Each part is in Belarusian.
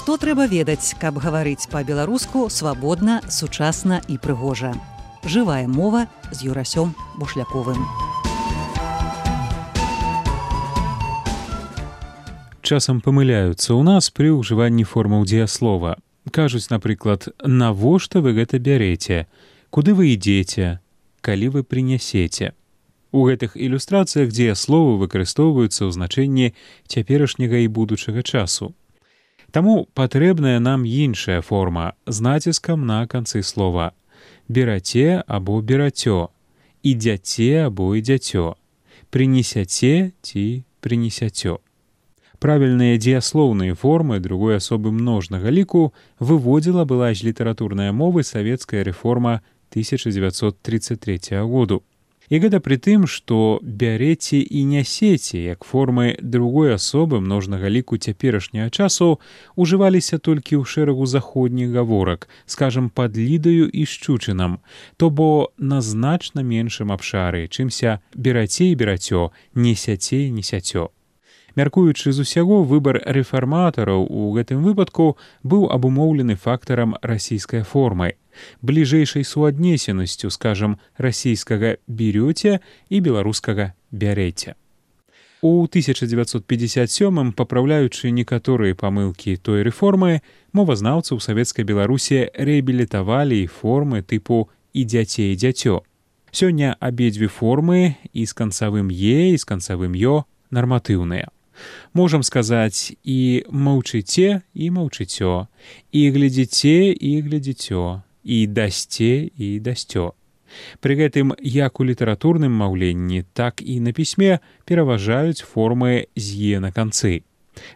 Што трэба ведаць, каб гаварыць па-беларуску свабодна, сучасна і прыгожа. Жывая мова з Юрасём Бушляковым. Часам памыляюцца ў нас пры ўжыванні формаў дзеяслова. Кажуць, напрыклад, навошта вы гэта бярэце, куды вы ідзеце, калі вы прынясеце. У гэтых ілюстрацыях дзеясловы выкарыстоўваюцца ў значэнні цяперашняга і будучага часу. Таму патрэбная нам іншая форма з націскам на канцы слова. Бераце або берацё, ідзяце або ідзяцё, прынесяце ці прынесяцё. Правільныя дзеяслоўныя формы другой асобы множнага ліку выводзіла была з літаратурнай мовы савецкая рэформа 1933 году. І гэта пры тым, што бярэце і нясеце, як формы другой асобы множнага ліку цяперашняга часу, ужываліся толькі ў шэрагу заходніх гаворак, скажам, пад лідаю і шчучынам, то бо на значна меншым абшары, чымся бераце і берацё, несяце і несяцё. Мяркуючы з усяго, выбар рэфарматараў у гэтым выпадку быў абумоўлены фактарам расійскай формы, бліжэйшай суаднесенасцю, скажам, расійскага «берёце» і беларускага «бярэце». У 1957-м, папраўляючы некаторыя памылкі той рэформы, мовазнаўцы ў савецкай Беларусі рэабілітавалі формы тыпу «ідзяце» і «дзяцё». Сёння абедзве формы і з канцавым «е», і з канцавым «ё» нарматыўныя. Можам сказаць і маўчыце, і маўчыцё, і глядзіце, і глядзіцё, і дасце, і дасцё. Пры гэтым як у літаратурным маўленні, так і на пісьме пераважаюць формы з «е» на канцы.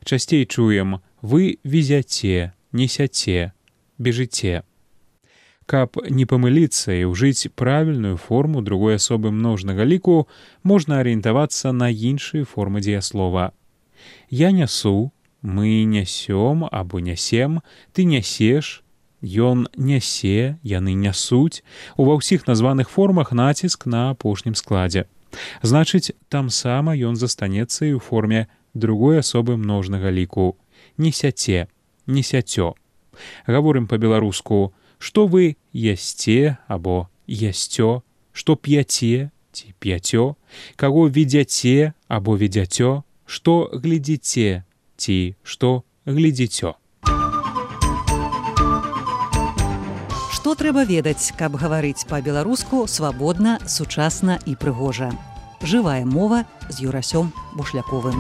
Часцей чуем «вы везяце», «несяце», «бежыце». Каб не памыліцца і ўжыць правільную форму другой асобы множнага ліку, можна арыентавацца на іншыя формы дзеяслова. Я нясу, мы нясём або нясем, ты нясеш, ён нясе, яны нясуць. Ува ўсіх названых формах націск на апошнім складзе. Значыць, там сама ён застанецца і ў форме другой асобы множнага ліку. Несяце, несяцё. Гаворым па-беларуску, што вы ясце або ясцё, што п'яце ці п'яцё, каго ведзяце або ведзяцё, што глядзіце ці што глядзіцё. Што трэба ведаць, каб гаварыць па-беларуску свабодна, сучасна і прыгожа. Жывая мова з Юрасём Бушляковым.